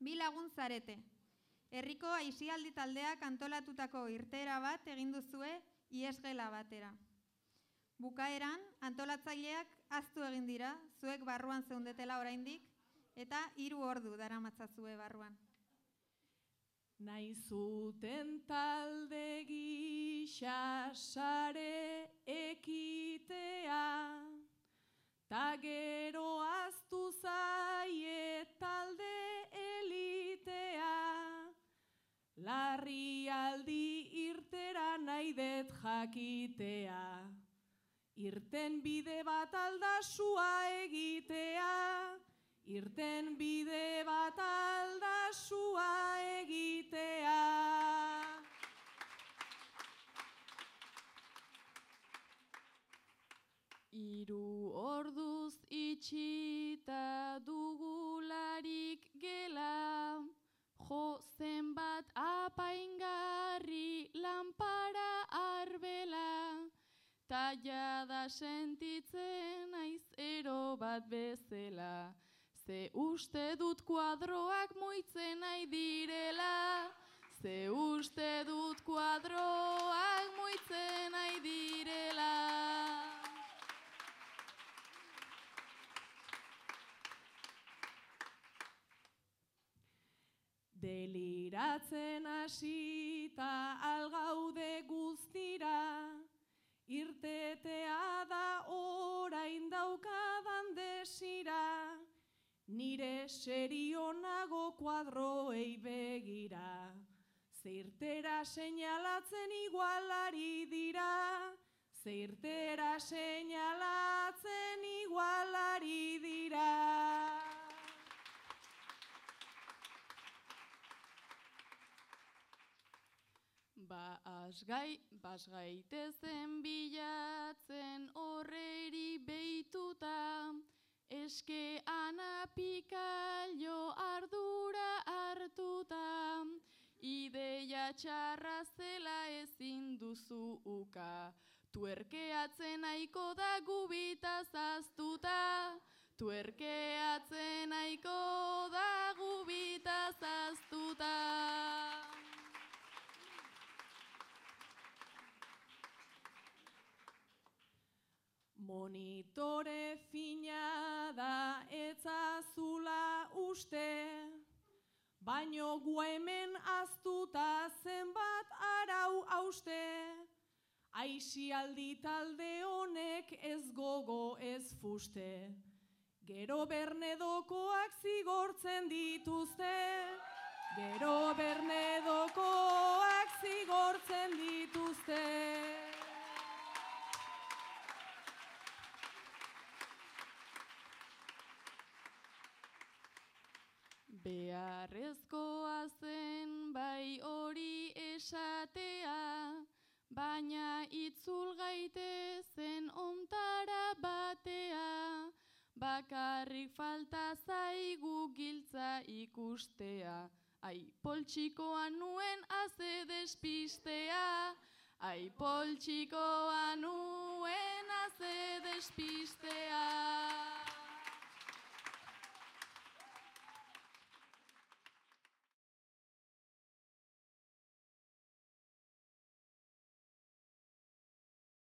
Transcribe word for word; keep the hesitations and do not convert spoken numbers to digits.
Bi lagun zarete. Herriko aisialdi taldeak antolatutako irteera bat egin duzue iesgela batera. Bukaeran, antolatzaileak ahaztu egin dira, zuek barruan zeundetela oraindik, eta hiru ordu daramatzazue barruan. Nahi zuten talde gisa sare ekitea, ta gero ahaztu zaie talde elitea, larrialdi irtera nahi det jakitea, irten bide bat aldasua egitea, irten bide bat aldasua egitea. Hiru orduz itxita dugularik gela, jo zenbat apaingarri lanpara arbela, ta jada sentitzen naiz ero bat bezala, ze uste dut kuadroak muitzen nahi direla, ze uste dut kuadroak muitzen nahi direla. Deliratzen hasita algaude guztira, irtetea da orain daukadan desira, nire serionago kuadroei begira, zeirtera seinalatzen igualari dira, zeirtera seinalatzen igualari dira. Ba asgai, basgaitezen bilatzen horreri beituta, eske anapikailo ardura hartuta, ideia txarra zela ezin duzu uka, tuerkeatzen nahiko da gubitaz aztuta, tuerkeatzen nahiko da gubitaz aztuta. Monitore fina da etzazula uste, baino gu hemen aztuta zenbat arau hauste, aisialdi talde honek ez gogo ez fuste, gero bernedokoak zigortzen dituzte, gero bernedokoak zigortzen dituzte. Beharrezkoa zen bai hori esatea, baina itzul gaitezen ontara batea, bakarrik falta zaigu giltza ikustea, ai poltsikoa nuen aze despistea, ai poltsikoa nuen aze